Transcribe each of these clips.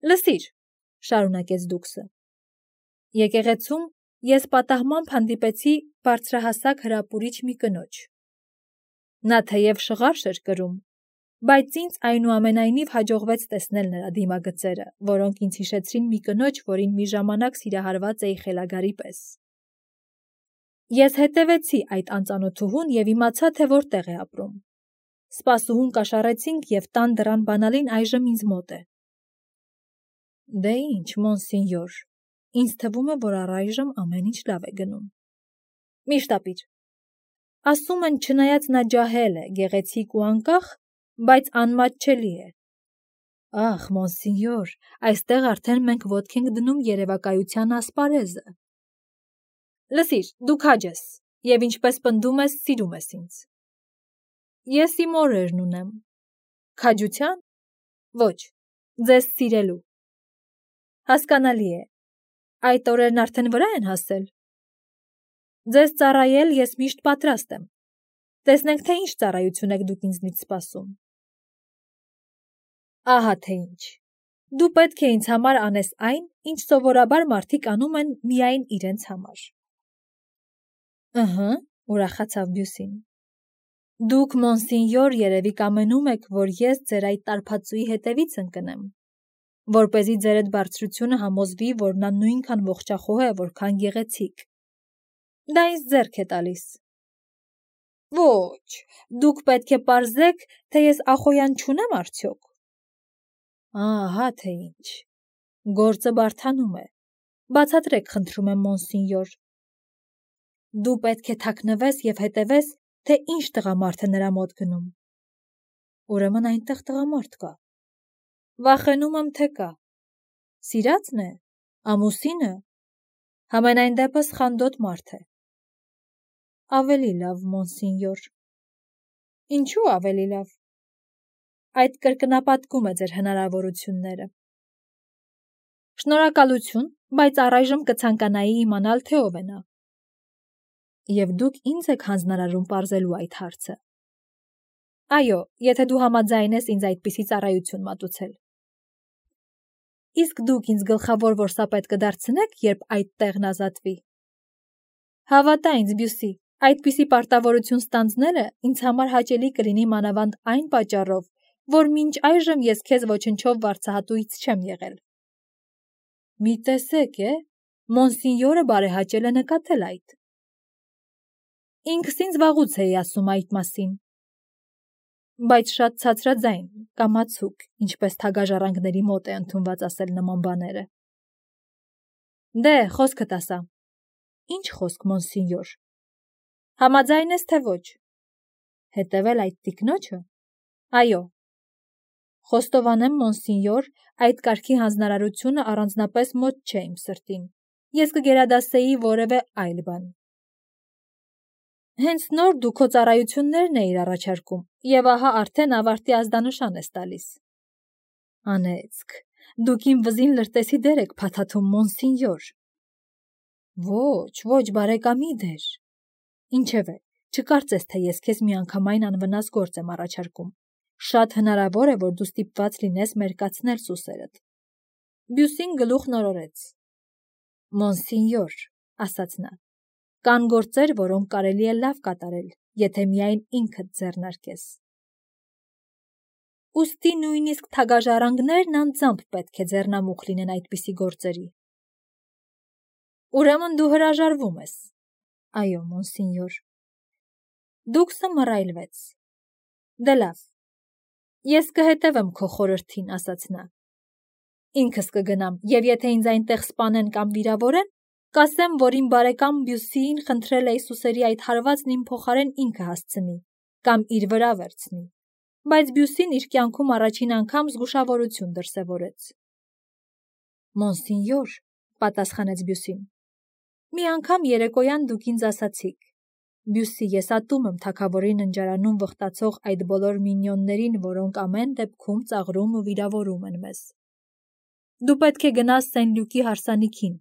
Լսիր, շարունակեց Դուքսը։ Եկեղեցում ես պատահմամբ հանդիպեցի բարձրահասակ հրապուրիչ մի կնոջ։ Նա թեև շղարշ էր կրում, բայց ինձ այնուամենայնիվ հաջողվեց տեսնել նրա դիմագծերը, որոնք ինձ հիշեցրին մի կնոջ, որին մի ժամանակ սիրահարված էի խելագարի պես։ Ես հետևեցի այդ անծանոթուհուն և իմացա, թե որտեղ է ապրում։ Սպասուհուն կաշառեցինք և տան դռան բանալին այժմ ինձ մոտ է։ Դե ինչ, մոնսինյոր, ինձ թվում է, որ առայժմ ամեն ինչ լավ է գնում։ Միշտ ապիր։ Ասում են, չնայած նա ջահել է, գեղեցիկ ու անկախ, բայց անմատչելի է։ Ախ, մոնսինյոր, այստեղ արդեն մենք ոտք ենք դնում երևակայության ասպարեզը։ Լսիր, դու քաջ ես, և ինչպես պնդում ես, սիրում ես ինձ։ Ես իմ օրերն ունեմ։ Քաջության։ Ոչ, ձեզ սիրելու։ Հասկանալի է։ Այդ օրերն արդեն վրա են հասել։ Ձեզ ծառայել ես միշտ պատրաստ եմ։ Տեսնենք, թե ինչ ծառայություն եք դուք ինձնից սպասում։ Ահա թե ինչ։ Դու պետք է ինձ համար անես այն, ինչ սովորաբար մարդիկ անում են միայն իրենց համար։ Ըհը, ուրախացավ Բյուսին։ Դուք, մոնսինյոր, երևի կամենում եք, որ ես ձեր այդ տարբածուի հետևից ընկնեմ, որպեսզի ձեր այդ բարձրությունը համոզվի, որ նա նույնքան ողջախոհ է, որքան գեղեցիկ։ Դա ինձ ձեռք է տալիս։ Ոչ, դուք պետք է պարզեք, թե ես ախոյան չունեմ արդյոք։ Ահա թե ինչ։ Գործը բարդանում է։ Բացատրեք, խնդրում եմ, մոնսինյոր։ Դու պետք է թաքնվես և հետևես, թե ինչ տղամարդ է նրա մոտ գնում։ Ուրեմն այնտեղ տղամարդ կա։ Վախենում եմ, թե կա։ Սիրածն է, ամուսինը, համենայն դեպս խանդոտ մարդ է։ Ավելի լավ, մոնսինյոր։ Ինչու ավելի լավ։ Այդ կրկնապատկում է ձեր հնարավորությունները։ Շնորհակալություն, բայց առայժմ կցանկանայի իմանալ, թե ով է նա։ Եվ դուք ինձ եք հանձնարարում պարզելու այդ հարցը։ Այո, եթե դու համաձայն ես ինձ այդպիսի ծառայություն մատուցել։ Իսկ դուք ինձ գլխավոր որսապետ կդարձնեք, երբ այդ տեղն ազատվի։ Հավատա ինձ, Բյուսի, այդպիսի պարտավորություն ստանձնելը ինձ համար հաճելի կլինի մանավանդ այն պատճառով, որ մինչ այժմ ես քեզ ոչնչով վարձահատույց չեմ եղել։ Մի տեսեք, մոնսինյորը բարեհաճել է նկատել այդ։ Ինքս ինձ վաղուց էի ասում այդ մասին։ Բայց շատ ցածրաձայն, կամացուկ, ինչպես թագաժառանգների մոտ է ընդունված ասել նման բաները։ Դե, խոսքդ ասա։ Ինչ խոսք, մոնսինյոր։ Համաձայն ես, թե ոչ։ Հետևել այդ տիկնոջը։ Այո։ Խոստովանեմ, մոնսինյոր, այդ կարգի հանձնարարությունը առանձնապես մոտ չէ իմ սրտին։ Ես կգերադասեի որևէ այլ բան։ Հենց նոր դու քո ծառայություններն էիր առաջարկում, և ահա արդեն ավարտի ազդանշան ես տալիս։ Անեծք, դուք իմ վզին լրտեսի դեր եք փաթաթում, մոնսինյոր։ Ոչ, բարեկամի դեր։ Ինչևէ, չկարծես, թե ես քեզ միանգամայն անվնաս գործ եմ առաջարկում։ Շատ հնարավոր է, որ դու ստիպված լինես մերկացնել սուսերդ։ Բյուսին գլուխ նորորեց։ Մոնսինյոր, ասաց նա, կան գործեր, որոնք կարելի է լավ կատարել, եթե միայն ինքդ ձեռնարկես։ Ուստի նույնիսկ թագաժառանգներն անձամբ պետք է ձեռնամուխ լինեն այդպիսի գործերի։ Ուրեմն դու հրաժարվում ես։ Այո, մոնսինյոր։ Դուքսը մռայլվեց։ Դե լավ։ Ես կհետևեմ քո խորհրդին, ասաց նա։ Ինքս կգնամ, և եթե ինձ այնտեղ սպանեն կամ վիրավորեն, կասեմ, որ իմ բարեկամ Բյուսիին խնդրել էի սուսերի այդ հարվածն իմ փոխարեն ինքը հասցնի կամ իր վրա վերցնի, բայց Բյուսին իր կյանքում առաջին անգամ զգուշավորություն դրսևորեց։ Մոնսինյոր, պատասխանեց Բյուսին, մի անգամ երեկոյան դուք ինձ ասացիք. Բյուսի, ես ատում եմ թագավորի ննջարանում վխտացող այդ բոլոր մինյոններին, որոնք ամեն դեպքում ծաղրում ու վիրավորում են մեզ։ Դու պետք է գնաս Սեն-Լյուկի հարսանիքին,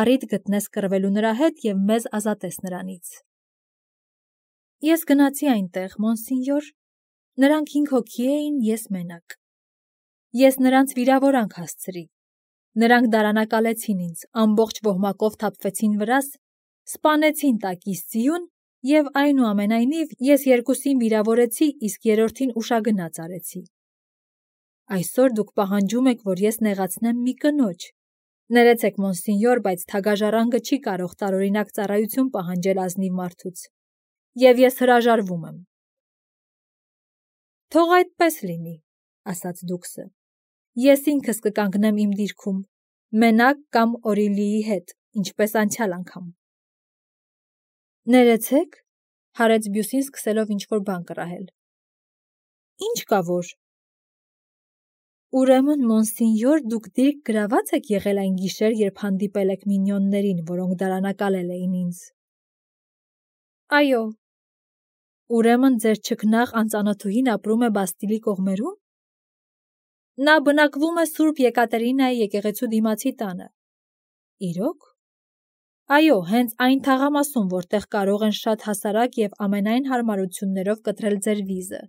առիթ գտնես կռվելու նրա հետ և մեզ ազատես նրանից։ Ես գնացի այնտեղ, մոնսինյոր, նրանք 5 հոգի էին, ես մենակ։ Ես նրանց վիրավորանք հասցրի։ Նրանք դարանակալեցին ինձ, ամբողջ ոհմակով թափվեցին վրաս, սպանեցին տակիս ձիուն և այնուամենայնիվ ես երկուսին վիրավորեցի, իսկ երրորդին ուշագնաց արեցի։ Այսօր դուք պահանջում եք, որ ես նեղացնեմ մի կնոջ։ Ներեցեք, մոնսինյոր, բայց թագաժառանգը չի կարող տարօրինակ ծառայություն պահանջել ազնիվ մարդուց, և ես հրաժարվում եմ։ Թող այդպես լինի, ասաց դուքսը։ Ես ինքս կկանգնեմ իմ դիրքում, մենակ կամ Օրիլիի հետ, ինչպես անցյալ անգամ։ Ներեցեք, հարեց Բյուսին սկսելով ինչ-որ բան կռահել։ Ինչ կա որ։ Ուրեմն, մոնսինյոր, դուք դիրք գրաված եք եղել այն գիշեր, երբ հանդիպել եք մինյոններին, որոնք դարանակալել էին ինձ։ Այո։ Ուրեմն ձեր չքնաղ անծանոթուհին ապրում է Բաստիլի կողմերում։ Նա բնակվում է Սուրբ Եկատերինայի եկեղեցու դիմացի տանը։ Իրոք։ Այո, հենց այն թաղամասում, որտեղ կարող են շատ հասարակ և ամենայն հարմարություններով կտրել ձեր վիզը։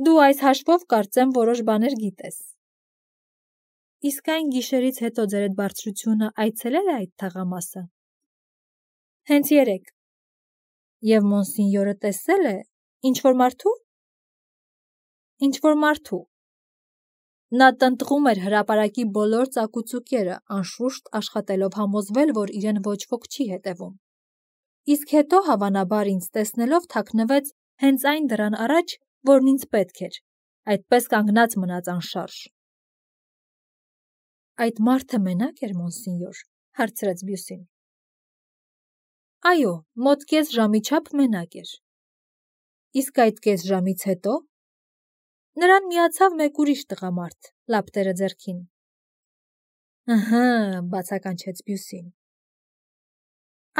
Դու այս հաշվով կարծեմ որոշ բաներ գիտես։ Իսկ այն գիշերից հետո ձեր այդ բարձրությունը այցելել է այդ թաղամասը։ Հենց երեկ։ Եվ մոնսինյորը տեսել է ինչ-որ մարդու։ Ինչ-որ մարդու։ Նա տնտղում էր հրապարակի բոլոր ծակուծուկերը, անշուշտ աշխատելով համոզվել, որ իրեն ոչ ոք չի հետևում։ Իսկ հետո, հավանաբար, ինձ տեսնելով թաքնվեց հենց այն դռան առաջ, որն ինձ պետք էր, այդպես կանգնած մնաց անշարժ։ Այդ մարդը մենակ էր, մոնսինյոր, հարցրեց Բյուսին։ Այո, մոտ կես ժամի չափ մենակ էր։ Իսկ այդ կես ժամից հետո նրան միացավ մեկ ուրիշ տղամարդ, լապտերը ձեռքին։ Ըհը, բացականչեց Բյուսին։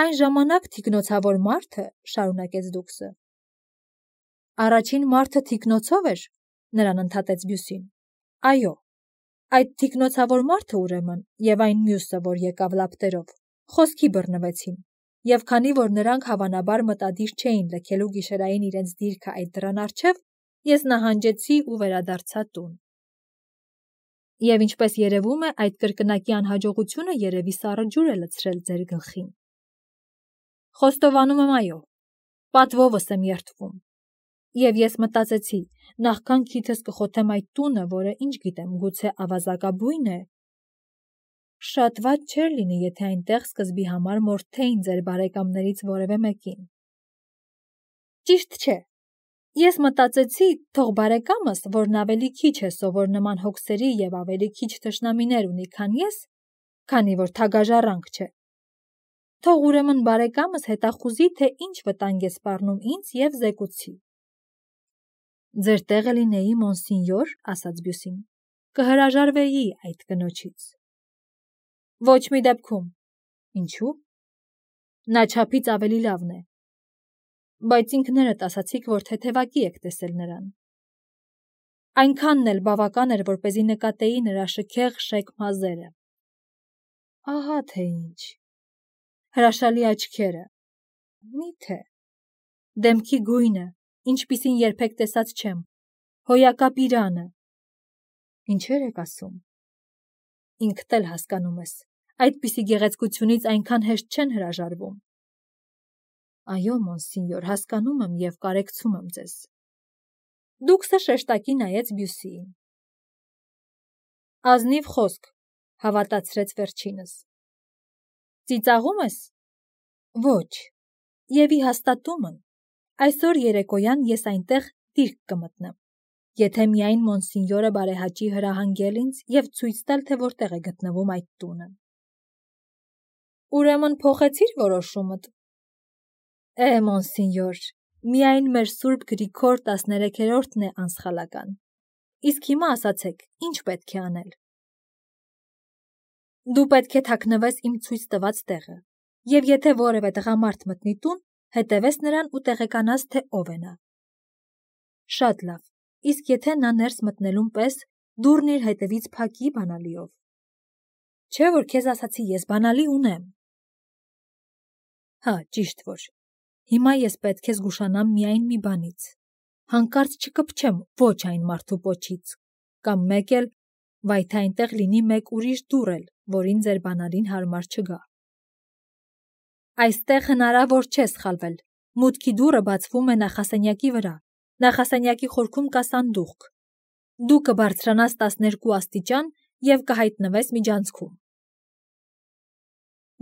Այն ժամանակ թիկնոցավոր մարդը, շարունակեց դուքսը։ Առաջին մարդը թիկնոցով էր, նրան ընդհատեց Բյուսին։ Այո, այդ թիկնոցավոր մարդը ուրեմն և այն մյուսը, որ եկավ լապտերով, խոսքի բռնվեցին, և քանի որ նրանք հավանաբար մտադիր չէին լքելու գիշերային իրենց դիրքը այդ դռան առջև, ես նահանջեցի ու վերադարձա տուն։ Եվ ինչպես երևում է, այդ կրկնակի անհաջողությունը երևի սառը ջուր է լցրել ձեր գլխին։ Խոստովանում եմ, այո, պատվովս եմ երդվում։ Եվ ես մտածեցի, նախքան քիթս կխոթեմ այդ տունը, որը, ինչ գիտեմ, գուցե ավազակաբույն է։ Շատ վատ չէր լինի, եթե այնտեղ սկզբի համար մորթեին ձեր բարեկամներից որևէ մեկին։ Ճիշտ չէ։ Ես մտածեցի, թող բարեկամս, որն ավելի քիչ է սովոր նման հոգսերի և ավելի քիչ թշնամիներ ունի, քան ես, քանի որ թագաժառանգ չէ։ Թող ուրեմն բարեկամս հետախուզի, թե ինչ վտանգ է սպառնում ինձ և զեկուցի։ Ձեր տեղը լինեի, մոնսինյոր, ասաց Բյուսին, կհրաժարվեի այդ կնոջից։ Ոչ մի դեպքում։ Ինչու՞։ Նա չափից ավելի լավն է։ Բայց ինքներդ ասացիք, որ թեթևակի եք տեսել նրան։ Այնքանն էլ բավական էր, որպեսզի նկատեի նրա շքեղ շեք մազերը։ Ահա թե ինչ։ Հրաշալի աչքերը։ Մի՞թե։ Դեմքի գույնը, ինչպիսին երբեք տեսած չեմ։ Հոյակապ իրանը։ Ինչեր եք ասում։ Ինքդ էլ հասկանում ես, այդպիսի գեղեցկությունից այնքան հեշտ չեն հրաժարվում։ Այո, մոնսինյոր, հասկանում եմ և կարեկցում եմ ձեզ։ Դուքսը շեշտակի նայեց Բյուսիին։ Ազնիվ խոսք, հավատացրեց վերջինս։ Ծիծաղում ես։ Ոչ։ Եվ ի հաստատումն, այսօր երեկոյան ես այնտեղ դիրք կմտնեմ, եթե միայն մոնսինյորը բարեհաճի հրահանգել ինձ և ցույց տալ, թե որտեղ է գտնվում այդ տունը։ Ուրեմն փոխեցիր որոշումդ։ Մոնսինյոր, միայն մեր Սուրբ Գրիգոր 13-րդն է անսխալական։ Իսկ հիմա ասացեք, ինչ պետք է անել։ Դու պետք է թաքնվես իմ ցույց տված տեղը, և եթե որևէ տղամարդ մտնի տուն, հետևես նրան ու տեղեկանաս, թե ով է նա։ Շատ լավ, իսկ եթե նա ներս մտնելուն պես դուռն իր հետևից փակի բանալիով։ Չէ՞ որ քեզ ասացի, ես բանալի ունեմ։ Հա, ճիշտ որ։ Հիմա ես պետք է զգուշանամ միայն մի բանից։ Հանկարծ չկպչեմ ոչ այն մարդու պոչից, կամ մեկ էլ, վայ թե այնտեղ լինի մեկ ուրիշ դուռ էլ, որին ձեր բանալին հարմար չգա։ Այստեղ հնարավոր չէ սխալվել։ Մուտքի դուռը բացվում է նախասենյակի վրա։ Նախասենյակի խորքում կա սանդուղք։ Դու կբարձրանաս 12 աստիճան և կհայտնվես միջանցքում։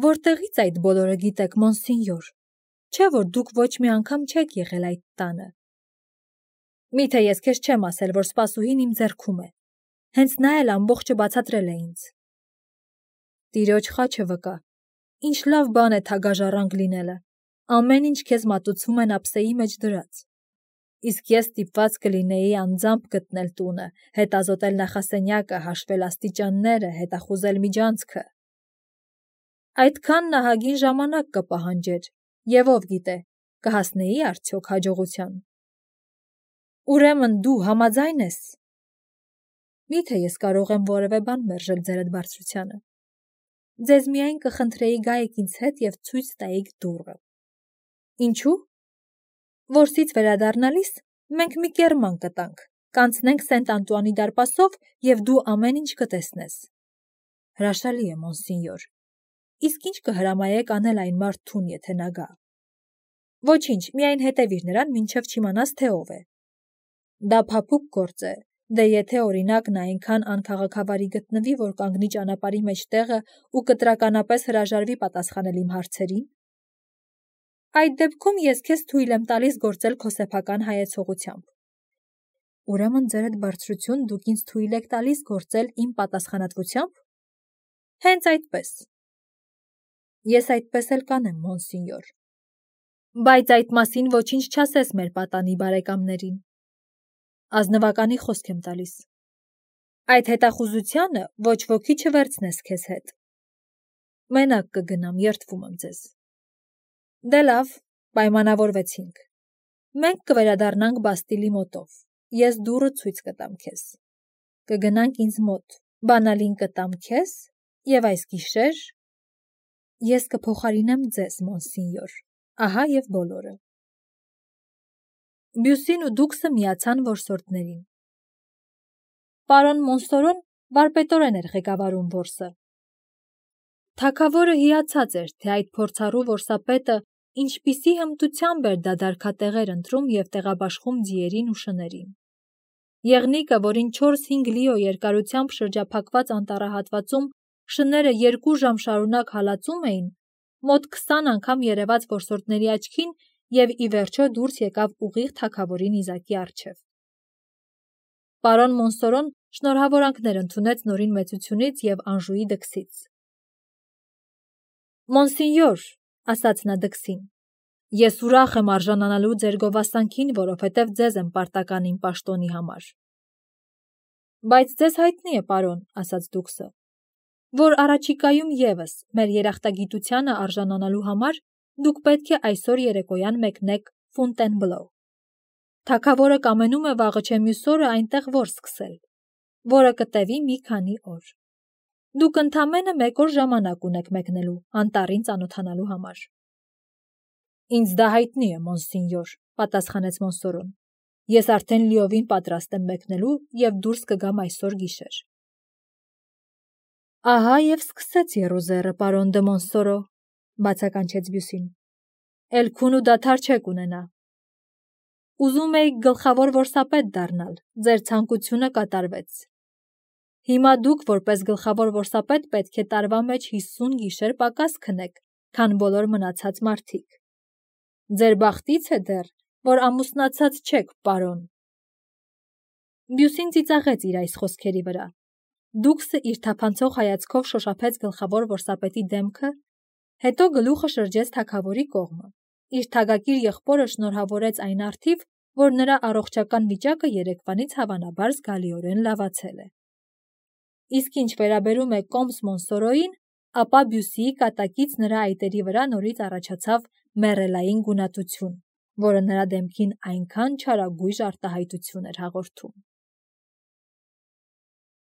Որտեղից այդ բոլորը գիտեք, մոնսինյոր, չէ՞ որ դուք ոչ մի անգամ չեք եղել այդ տանը։ Միթե ես քեզ չեմ ասել, որ սպասուհին իմ ձեռքում է։ Հենց նա էլ ամբողջը բացատրել է ինձ։ Տիրոջ խաչը վկա։ Ինչ լավ բան է թագաժառանգ լինելը։ Ամեն ինչ քեզ մատուցվում են ափսեի մեջ դրած։ Իսկ ես ստիպված կլինեի անձամբ գտնել տունը, հետազոտել նախասենյակը, հաշվել աստիճանները, հետախուզել միջանցքը։ Այդքան նահագին ժամանակ կպահանջեր, և ով գիտե, կհասնեի արդյոք հաջողության։ Ուրեմն դու համաձայն ես։ Միթե ես կարող եմ որևէ բան մերժել ձերդ բարձրությանը։ Ձեզ միայն կխնդրեի գայեք ինձ հետ և ցույց տայիք դուռը։ Ինչու՞։ Որսից վերադառնալիս մենք մի կեռման կտանք, կանցնենք Սենտ Անտուանի դարպասով և դու ամեն ինչ կտեսնես։ Հրաշալի է, մոնսինյոր։ Իսկ ինչ կհրամայեք անել այն մարդուն, եթե նա գա։ Ոչինչ, միայն հետևիր նրան, մինչև չիմանաս, թե ով է։ Դա փափուկ գործ է, դե եթե օրինակ նա այնքան անքաղաքավարի գտնվի, որ կանգնի ճանապարհի մեջ տեղը ու կտրականապես հրաժարվի պատասխանել իմ հարցերին։ Այդ դեպքում ես քեզ թույլ եմ տալիս գործել քո սեփական հայեցողությամբ։ Ուրեմն ձերդ բարձրություն դուք ինձ թույլ եք տալիս գործել իմ պատասխանատվությամբ։ Հենց այդպես։ Ես այդպես էլ կանեմ, մոնսինյոր։ Բայց այդ մասին ոչինչ չասես մեր պատանի բարեկամներին։ Ազնվականի խոսք եմ տալիս։ Այդ հետախուզությանը ոչ ոքի չվերցնես քեզ հետ։ Մենակ կգնամ, երդվում եմ ձեզ։ Դե լավ, պայմանավորվեցինք։ Մենք կվերադառնանք Բաստիլի մոտով։ Ես դուռը ցույց կտամ քեզ։ Կգնանք ինձ մոտ, բանալին կտամ քեզ, և այս գիշեր ես կփոխարինեմ ձեզ, մոնսինյոր։ Ահա և բոլորը։ Բյուսին ու դուքսը միացան որսորդներին։ Պարոն Մոնսորոն վարպետորեն էր ղեկավարում որսը։ Թագավորը հիացած էր, թե այդ փորձառու որսապետը ինչպիսի հմտությամբ էր դադարքատեղեր ընտրում և տեղաբաշխում ձիերին ու շներին։ Եղնիկը, որին 4-5 լիո երկարությամբ շրջափակված անտառահատվածում շները 2 ժամ շարունակ հալածում էին, մոտ 20 անգամ երևաց որսորդների աչքին և ի վերջո դուրս եկավ ուղիղ թագավորի նիզակի առջև։ Պարոն Մոնսորոն շնորհավորանքներ ընդունեց նորին մեծությունից և Անժուի դքսից։ Մոնսինյոր, ասաց նա դքսին, ես ուրախ եմ արժանանալու ձեր գովասանքին, որովհետև ձեզ եմ պարտական իմ պաշտոնի համար։ Բայց ձեզ հայտնի է, պարոն, ասաց դուքսը, որ առաջիկայում ևս մեր երախտագիտությանը արժանանալու համար դուք պետք է այսօր երեկոյան մեկնեք Ֆոնտենբլո։ Թագավորը կամենում է վաղը չէ մյուս օրը այնտեղ որս սկսել, որը կտևի մի քանի օր։ Դուք ընդամենը 1 օր ժամանակ ունեք մեկնելու անտառին ծանոթանալու համար։ Ինձ դա հայտնի է, մոնսինյոր, պատասխանեց Մոնսորոն։ Ես արդեն լիովին պատրաստ եմ մեկնելու և դուրս կգամ այսօր գիշեր։ Ահա և սկսեց եռուզեռը, պարոն դը Մոնսորո, բացականչեց Բյուսին։ Էլ քուն ու դադար չեք ունենա։ Ուզում էիք գլխավոր որսապետ դառնալ, ձեր ցանկությունը կատարվեց։ Հիմա դուք որպես գլխավոր որսապետ պետք է տարվա մեջ 50 գիշեր պակաս քնեք, քան բոլոր մնացած մարդիկ։ Ձեր բախտից է դեռ, որ ամուսնացած չեք, պարոն։ Բյուսին ծիծաղեց իր այս խոսքերի վրա։ Դուքսը իր թափանցող հայացքով շոշափեց գլխավոր որսապետի դեմքը, հետո գլուխը շրջեց թագավորի կողմը։ Իր թագակիր եղբորը շնորհավորեց այն առթիվ, որ նրա առողջական վիճակը երեկվանից հավանաբար զգալիորեն լավացել է։ Իսկ ինչ վերաբերում է կոմս Մոնսորոյին, ապա Բյուսիի կատակից նրա այտերի վրա նորից առաջացավ մեռելային գունատություն, որը նրա դեմքին այնքան չարագույժ արտահայտություն էր հաղորդում։